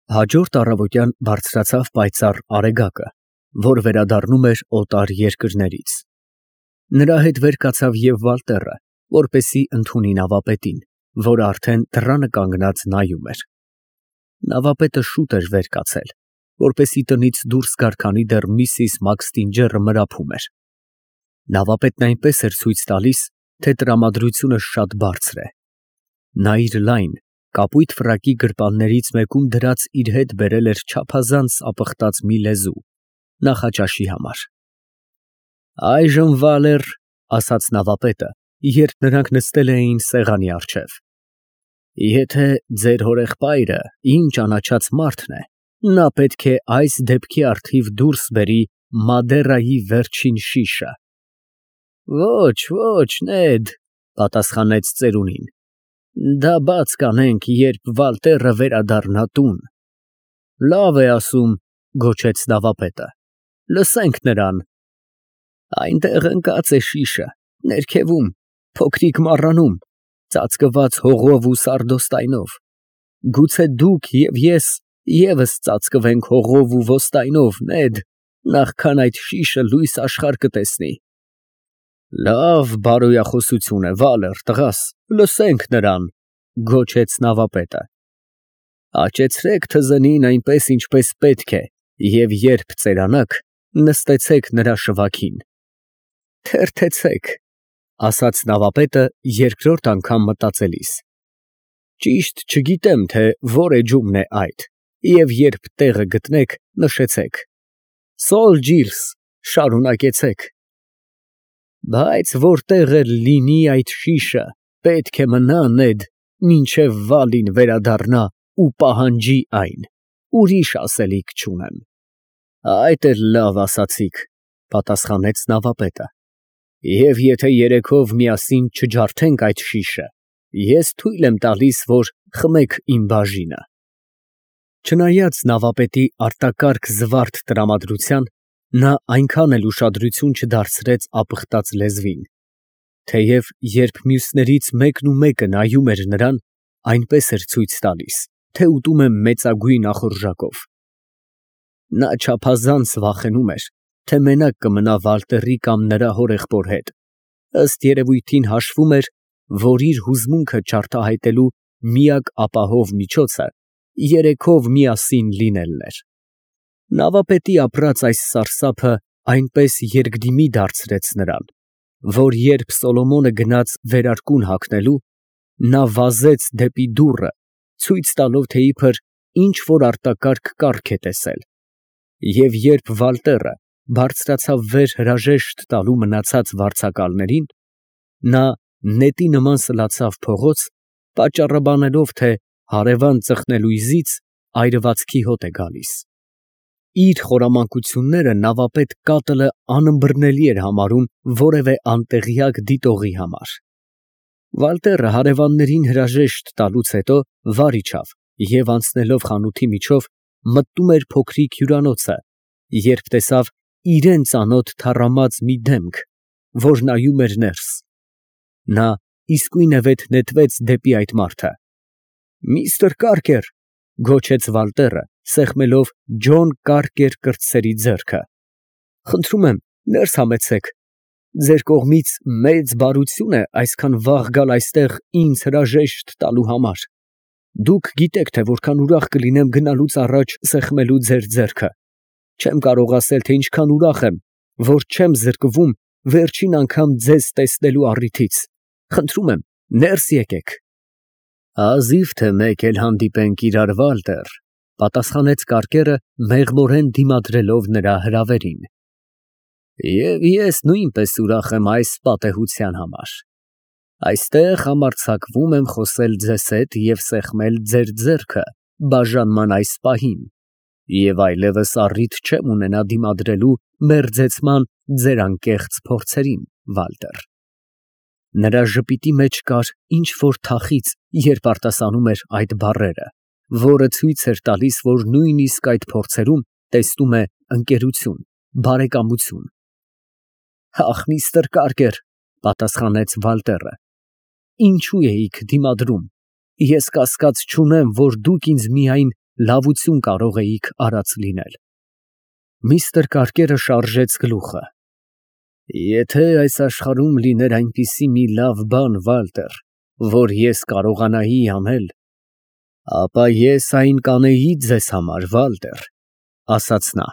Հաջորդ առավոտյան բարձրացավ պայծառ արեգակը, որ վերադառնում էր օտար երկրներից։ Նրա հետ վեր կացավ և Վալտերը, որպեսզի ընդունի նավապետին, որը արդեն դռանը կանգնած նայում էր։ Նավապետը շուտ էր վեր կացել, որպեսզի տնից դուրս գար, քանի դեռ Միսիս Մաքսթինջերը մրափում էր։ Նավապետն այնպես էր ցույց տալիս, թե տրամադրությունը շատ բարձր է։ Նա իր լայն, կապույտ ֆրակի գրպաններից մեկում դրած իր հետ բերել էր չափազանց ապխտած մի լեզու նախաճաշի համար։ «Այժմ, Վալեր, ֊ ասաց նավապետը, երբ նրանք նստել էին սեղանի առջև, ֊ եթե ձեր հորեղբայրը իմ ճանաչած մարդն է, նա պետք է այս դեպքի առթիվ դուրս բերի Մադերայի վերջին շիշը»։ «Ոչ, ոչ, Նեդ, ֊ պատասխանեց ծերունին, ֊ դա բաց կանենք, երբ Վալտերը վերադառնա տուն»։ «Լավ է ասում, ֊ գոչեց նավապետը, ֊ լսենք նրան»։ «Այնտեղ ընկած է շիշը, ներքևում, փոքրիկ մառանում, ծածկված հողով ու սարդոստայնով։ Գուցե դուք և ես ևս ծածկվենք հողով ու ոստայնով, Նեդ, նախքան այդ շիշը լույս աշխարհ կտեսնի»։ «Լավ բարոյախոսություն է, Վալեր տղաս, լսենք նրան», ֊ գոչեց նավապետը։ «Աճեցրեք թզենին այնպես, ինչպես պետք է, և երբ ծերանաք, նստեցեք նրա շվաքին»։ «Թերթեցեք», ֊ ասաց նավապետը երկրորդ անգամ մտածելիս։ «Ճիշտ չգիտեմ, թե որ էջումն է այդ, և երբ տեղը գտնեք, նշեցեք։ Սոլ ջիրս, շարունակեցեք»։ «Բայց որտեղ էլ լինի այդ շիշը, պետք է մնա, Նեդ, մինչև Վալին վերադառնա ու պահանջի այն, ուրիշ ասելիք չունեմ»։ «Այդ էլ լավ ասացիք», ֊ պատասխանեց նավապետը, «և եթե երեքով միասին չջարդենք այդ շիշը, ես թույլ եմ տալիս, որ խմեք իմ բաժինը»։ Չնայած նավապետի արտակարգ զվարթ տրամադրության, նա այնքան էլ ուշադրություն չդարձրեց ապխտած լեզվին, թեև երբ մյուսներից մեկն ու մեկը նայում էր նրան, այնպես էր ցույց տալիս, թե ուտում է մեծագույն ախորժակով։ Նա չափազանց վախենում էր, թե մենակ կմնա Վալտերի կամ նրա հորեղբոր հետ, ըստ երևույթին հաշվում էր, որ իր հուզմունքը չարտահայտելու միակ ապահով միջոցը երեքով միասին լինելն էր։ Նավապետի ապրած այս սարսափը այնպես երկդիմի դարձրեց նրան, որ երբ Սոլոմոնը գնաց վերարկուն հագնելու, նա վազեց դեպի դուռը, ցույց տալով, թե իբր ինչ որ արտակարգ կառք է տեսել, և երբ Վալտերը բարձրացավ վեր հրաժեշտ տալու մնացած վարձակալներին, նա նետի նման սլացավ փողոց, պատճառաբանելով, թե հարևան ծխնելույզից այրվածքի հոտ է գալիս։ Իր խորամանկությունները նավապետ Կատլը անըմբռնելի էր համարում որևէ անտեղյակ դիտողի համար։ Վալտերը հարևաններին հրաժեշտ տալուց հետո վար իջավ և անցնելով խանութի միջով մտնում էր փոքրիկ հյուրանոցը, երբ տեսավ իրան ծանոթ թառամած մի դեմք, որ նայում էր ներս։ Նա իսկույնևեթ նետվեց դեպի այդ մարդը։ «Միստր Կարկեր», ֊ գոչեց Վալտերը, սեղմելով Ջոն Կարկեր կրտսերի ձեռքը, ֊ խնդրում եմ, ներս համեցեք։ Ձեր կողմից մեծ բարություն է այսքան վաղ գալ այստեղ ինձ հրաժեշտ տալու համար։ Դուք գիտեք, թե որքան ուրախ կլինեմ գնալուց առաջ սեղմելու ձեր ձեռքը։ Չեմ կարող ասել, թե ինչքան ուրախ եմ, որ չեմ զրկվում վերջին անգամ ձեզ տեսնելու առիթից։ Խնդրում եմ, ներս եկեք։ Հազիվ թե մեկ էլ հանդիպենք իրար, Վալտեր, ֊ պատասխանեց Կարկերը, մեղմորեն դիմադրելով նրա հրավերին։ Եվ ես նույնպես ուրախ եմ այս պատեհության համար։ Այստեղ համարձակվում եմ խոսել ձեզ հետ և սեղմել ձեր ձեռքը բաժանման այս պահին, և այլևս առիթ չեմ ունենա դիմադրելու մերձեցման ձեր անկեղծ փորձերին, Վալտեր։ Նրա ժպիտի մեջ կար ինչ որ թախիծ, երբ արտասանում էր այդ բառերը, որը ցույց էր տալիս, որ նույնիսկ այդ փորձերում տեսնում է ընկերություն, բարեկամություն։ Ախ, միստր Կարկեր, ֊ պատասխանեց Վալտերը, ֊ ինչու էիք դիմադրում։ Ես կասկած չունեմ, որ դուք ինձ միայն լավություն կարող էիք արած լինել։ Միստր Կարկերը շարժեց գլուխը։ Եթե այս աշխարհում լիներ այնպիսի մի լավ բան, Վալտեր, որ ես կարողանայի անել, ապա ես այն կանեի ձեզ համար, Վալտեր, ասաց նա։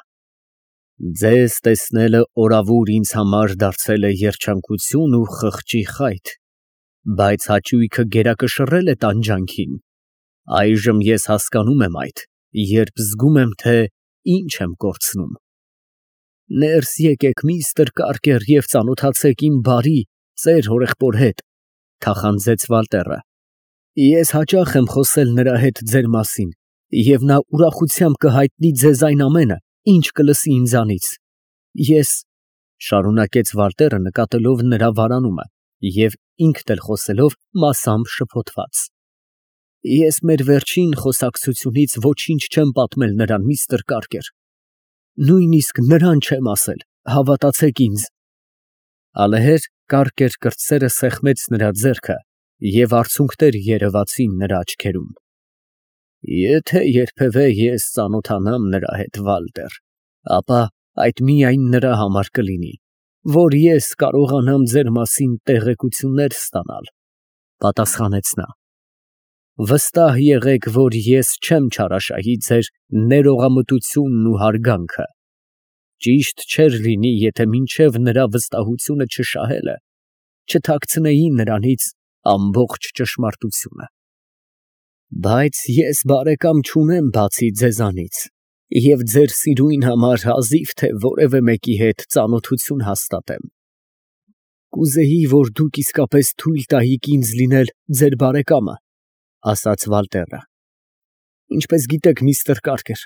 Ձեզ տեսնելը օրավուր ինձ համար դարձել է երջանկություն ու խղճի խայթ, բայց հաճույքը գերակշռել է տանջանքին։ Այժմ ես հասկանում եմ այդ, երբ զգում եմ, թե ինչ եմ կորցնում։ Ներս եկեք, միստր Կարկեր, և ծանոթացեք իմ բարի, ծեր հորեղբոր հետ, թախանձեց Վալտերը։ Ես հաճախ եմ խոսել նրա հետ ձեր մասին, և նա ուրախությամբ կհայտնի ձեզ այն ամենը, ինչ կլսի ինձանից։ Ես, շարունակեց Վալտերը նկատելով նրա վարանումը և ինքն էլ խոսելով մասամբ շփոթված։ Ես մեր վերջին խոսակցությունից ոչինչ չեմ պատմել նրան, միստր Կարկեր։ Նույնիսկ նրան չեմ ասել, հավատացեք ինձ։ Ալեհեր Կարկեր կրտսերը սեղմեց նրա ձեռքը և արցունքներ երևացին նրա աչքերում։ Եթե երբևէ ես ծանոթանամ նրա հետ, Վալտեր, ապա այդ միայն նրա համար կլինի, որ ես կարողանամ ձեր մասին տեղեկություններ ստանալ, պատասխանեց նա։ Վստահ եղեք, որ ես չեմ չարաշահի ձեր ներողամտությունն ու հարգանքը։ Ճիշտ չէր լինի, եթե մինչև նրա վստահությունը չշահելը, չթաքցնեի նրանից ամբողջ ճշմարտությունը։ Բայց ես բարեկամ չունեմ բացի ձեզանից, և ձեր սիրույն համար հազիվ թե որևէ մեկի հետ ծանոթություն հաստատեմ։ Կուզեի, որ դուք իսկապես թույլ տայիք ինձ լինել ձեր բարեկամը, ասաց Վալտերը։ Ինչպես գիտեք, միստր Կարկեր,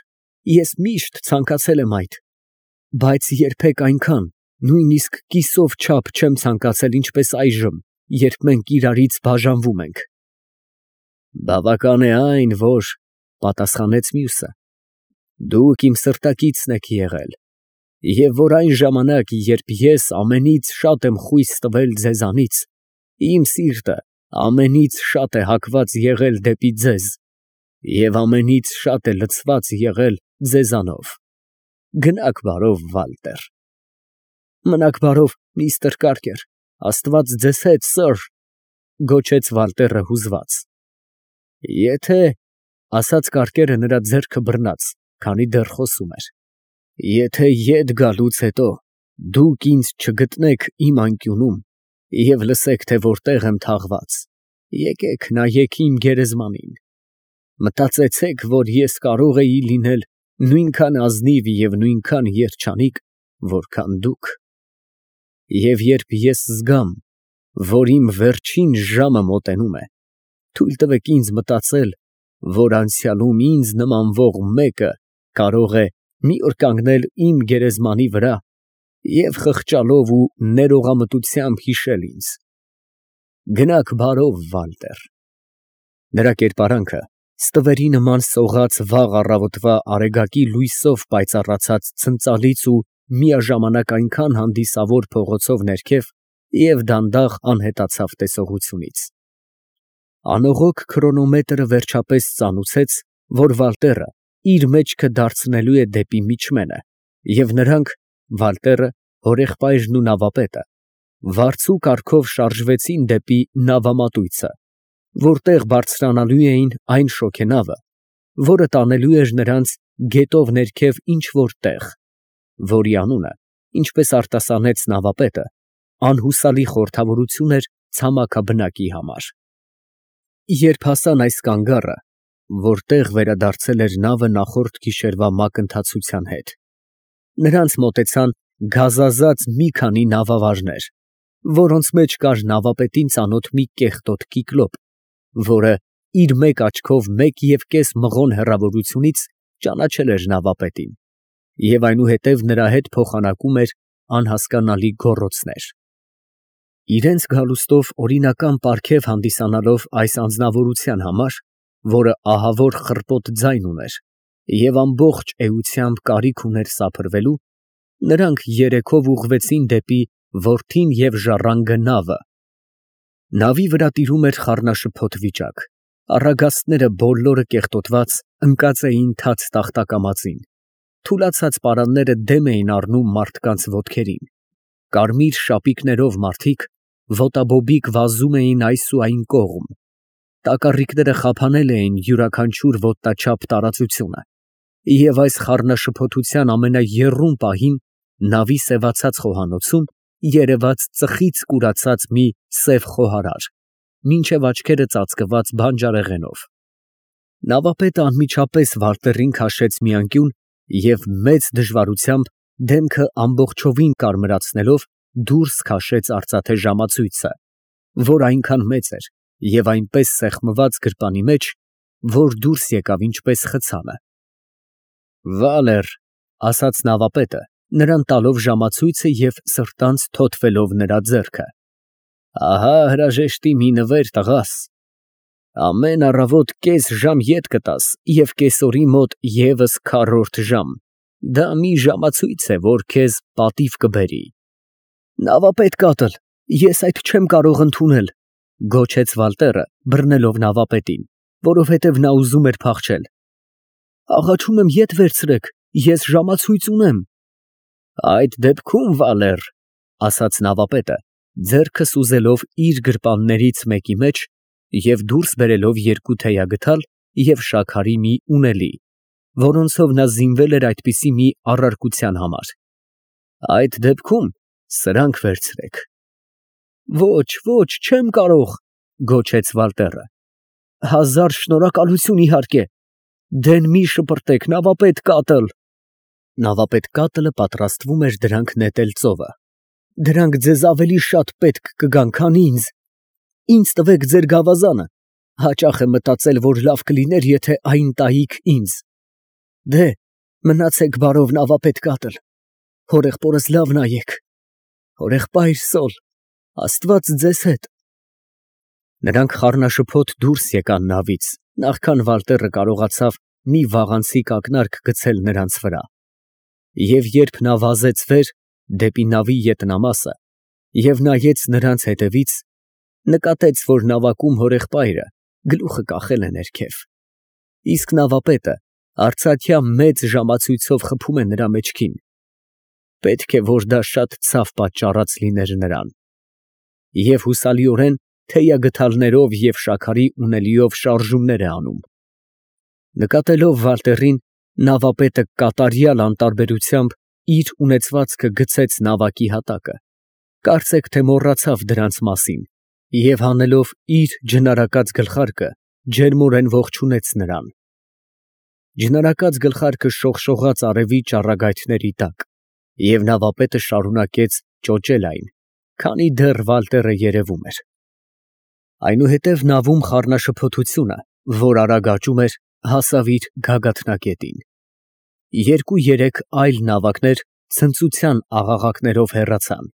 ես միշտ ցանկացել եմ այդ, բայց երբեք այնքան, նույնիսկ կիսով չափ չեմ ցանկացել, ինչպես այժմ, երբ մենք իրարից բաժանվում ենք։ Բավական է այն, որ, պատասխանեց մյուսը, դուք իմ սրտակիցն եք եղել, և որ այն ժամանակ, երբ ես ամենից շատ եմ խույս տվել ձեզանից, իմ սիրտը ամենից շատ է հակված եղել դեպի ձեզ և ամենից շատ է լցված եղել ձեզանով։ Գնաք բարով, Վալտեր։ Մնաք բարով, միստր Կարկեր, Աստված ձեզ հետ, սըր, գոչեց Վալտերը հուզված։ Եթե, ասաց Կարկերը նրա ձեռքը բռնած, քանի դեռ խոսում էր, եթե ետ գալուց հետո դուք ինձ չգտնեք իմ անկյունում և լսեք, թե որտեղ եմ թաղված, եկեք նայեք իմ գերեզմանին, մտածեցեք, որ ես կարող էի լինել նույնքան ազնիվ և նույնքան երջանիկ, որքան դուք։ Եվ երբ ես զգամ, որ իմ վերջին ժամը մոտենում է, թույլ տվեք ինձ մտածել, որ անցյալում ինձ նմանվող մեկը կարող է մի օր կանգնել իմ գերեզմանի վրա և խղճալով ու ներողամտությամբ հիշել ինձ։ Գնաք բարով, Վալտեր։ Նրա կերպարանքը ստվերի նման սողաց վաղ առավոտվա արեգակի լույսով պայծառացած ցնծալից ու միաժամանակ այնքան հանդիսավոր փողոցով ներքև և դանդաղ անհետացավ տեսողությունից։ Անողոք քրոնոմետրը վերջապես ծանուցեց, որ Վալտերը իր մեջքը դարձնելու է դեպի միջմենը, և նրանք, Վալտերը, հորեղբայրն ու նավապետը, վարձու կարգով շարժվեցին դեպի նավամատույցը, որտեղ բարձրանալու էին այն շոգենավը, որը տանելու էր նրանց գետով ներքև ինչ֊որ տեղ, որի անունը, ինչպես արտասանեց նավապետը, անհուսալի խորհրդավորություն էր ցամաքաբնակի համար։ Երբ հասան այս կանգառը, որտեղ վերադարձել էր նավը նախորդ գիշերվա մակընթացության հետ, նրանց մոտեցան գազազած մի քանի նավավարներ, որոնց մեջ կար նավապետին ծանոթ մի կեղտոտ կիկլոպ, որը իր մեկ աչքով 1.5 մղոն հեռավորությունից ճանաչել էր նավապետին և այնուհետև նրա հետ փոխանակում էր անհասկանալի գոռոցներ։ Իրենց գալուստով օրինական պարգև հանդիսանալով այս անձնավորության համար, որը ահավոր խռպոտ ձայն ուներ և ամբողջ էությամբ կարիք ուներ սափրվելու, նրանք երեքով ուղղվեցին դեպի որդին և ժառանգը նավը։ Նավի վրա տիրում էր խառնաշփոթ վիճակ, Առագաստները բոլորը կեղտոտված ընկած էին թաց տախտակամածին, թուլացած պարանները դեմ էին առնում մարդկանց ոտքերին, կարմիր շապիկներով մարդիկ ոտաբոբիկ վազում էին այս ու այն կողմ, տակառիկները խափանել էին յուրաքանչյուր ոտնաչափ տարածությունը, և այս խառնաշփոթության ամենաեռուն պահին նավի սևացած խոհանոցում երևաց ծխից կուրացած մի սև խոհարար, մինչև աչքերը ծածկված բանջարեղենով։ Նավապետը անմիջապես Վալտերին քաշեց մի անկյուն և մեծ դժվարությամբ դեմքը ամբողջովին կարմրացնելով դուրս քաշեց արծաթե ժամացույցը, որ այնքան մեծ էր և այնպես սեղմված գրպանի մեջ, որ դուրս եկավ ինչպես խցանը։ «Վալեր», ֊ ասաց նավապետը, նրան տալով ժամացույցը և սրտանց թոթվելով նրա ձեռքը, ֊ ահա հրաժեշտի մի նվեր, տղաս, ամեն առավոտ կես ժամ ետ կտաս և կեսօրի մոտ ևս քառորդ ժամ, դա մի ժամացույց է, որ քեզ պատիվ կբերի։ «Նավապետ կատլ, ես այդ չեմ կարող ընդունել, ֊ գոչեց Վալտերը, բռնելով նավապետին, որովհետև նա ուզում էր փախչել։ Աղաչում եմ ետ վերցրեք, ես ժամացույց ունեմ։ Այդ դեպքում, Վալեր, ֊ ասաց նավապետը, ձեռքը սուզելով իր գրպաններից մեկի մեջ և դուրս բերելով երկու թեյագդալ և շաքարի մի ունելի, որոնցով նա զինվել էր այդպիսի մի առարկության համար, ֊ այդ դեպքում սրանք վերցրեք։ Ոչ, ոչ, չեմ կարող, ֊ գոչեց Վալտերը, հազար շնորհակալություն, իհարկե, դեն մի շպրտեք, նավապետ կատլ։ Նավապետ կատլը պատրաստվում էր դրանք նետել ծովը։ Դրանք ձեզ ավելի շատ պետք կգան, քան ինձ։ Ինձ տվեք ձեր գավազանը, հաճախ եմ մտածել, որ լավ կլիներ, եթե այն տայիք ինձ։ Դե, մնացեք բարով, նավապետ կատլ, հորեղբորս լավ նայեք, հորեղբայր Սոլ, Աստված ձեզ հետ։ Նրանք խառնաշփոթ դուրս եկան նավից, նախքան Վալտերը կարողացավ մի վաղանցիկ ակնարկ գցել նրանց վրա, և երբ նա վազեց վեր դեպի նավի ետնամասը և նայեց նրանց հետևից, նկատեց, որ նավակում հորեղբայրը գլուխը կախել է ներքև, իսկ նավապետը արծաթյա մեծ ժամացույցով խփում է նրա մեջքին, պետք է, որ դա շատ ցավ պատճառած լիներ նրան, և հուսալիորեն թեյագդալներով և շաքարի ունելիով շարժումներ է անում։ Նկատելով Վալտերին, նավապետը կատարյալ անտարբերությամբ իր ունեցվածքը գցեց նավակի հատակը, կարծեք թե մոռացավ դրանց մասին, և հանելով իր ջնարակած գլխարկը, ջերմորեն ողջունեց նրան։ Ջնարակած գլխարկը շողշողաց արևի ճառագայթների տակ, և նավապետը շարունակեց ճոճել այն, քանի դեռ Վալտերը երևում էր։ Այնուհետև նավում խառնաշփոթությունը, որ արագ աճում էր, հասավ իր գագաթնակետին։ Երկու֊երեք այլ նավակներ ցնծության աղաղակներով հեռացան։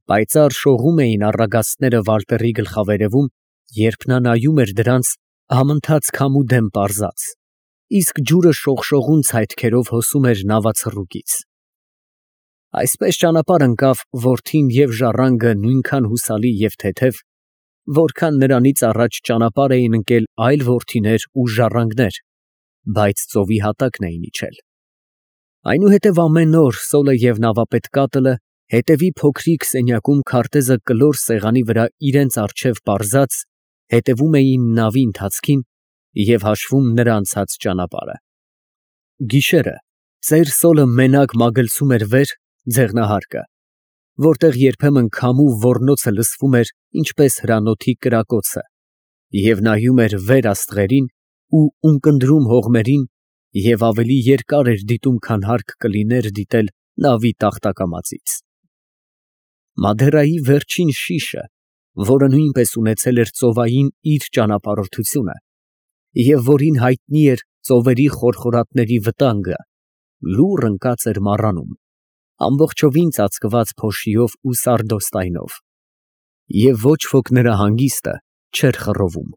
Պայծառ շողում էին առագաստները Վալտերի գլխավերևում, երբ նա նայում էր դրանց համընթաց քամու դեմ պարզած, իսկ ջուրը շողշողուն ցայտքերով հոսում էր նավացռուկից։ Այսպես ճանապարհ ընկավ որդին և ժառանգը նույնքան հուսալի և թեթև, որքան նրանից առաջ ճանապարհ էին ընկել այլ որդիներ ու ժառանգներ, բայց ծովի հատակն էին իջել։ Այնուհետև ամեն օր Սոլը և նավապետ կատլը հետևի փոքրիկ սենյակում քարտեզը կլոր սեղանի վրա իրենց առջև պարզած, հետևում էին նավի ընթացքին և հաշվում նրա անցած ճանապարհը։ Գիշերը ծեր Սոլը մենակ մագլցում էր վեր ձեղնահարկը, որտեղ երբեմն քամու ոռնոցը լսվում էր ինչպես հրանոթի կրակոցը, և նայում էր վեր աստղերին ու ունկնդրում հողմերին և ավելի երկար էր դիտում, քան հարկ կլիներ դիտել նավի տախտակամածից։ Մադերայի վերջին շիշը, որը նույնպես ունեցել էր ծովային իր ճանապարհորդությունը, և որին հայտնի էր ծովերի խորխորատների վտանգը, լուռ ընկած էր մառանում, ամբողջովին ծածկված փոշիով ու սարդոստայնով, և ոչ ոք նրա հանգիստը չէր խռովում։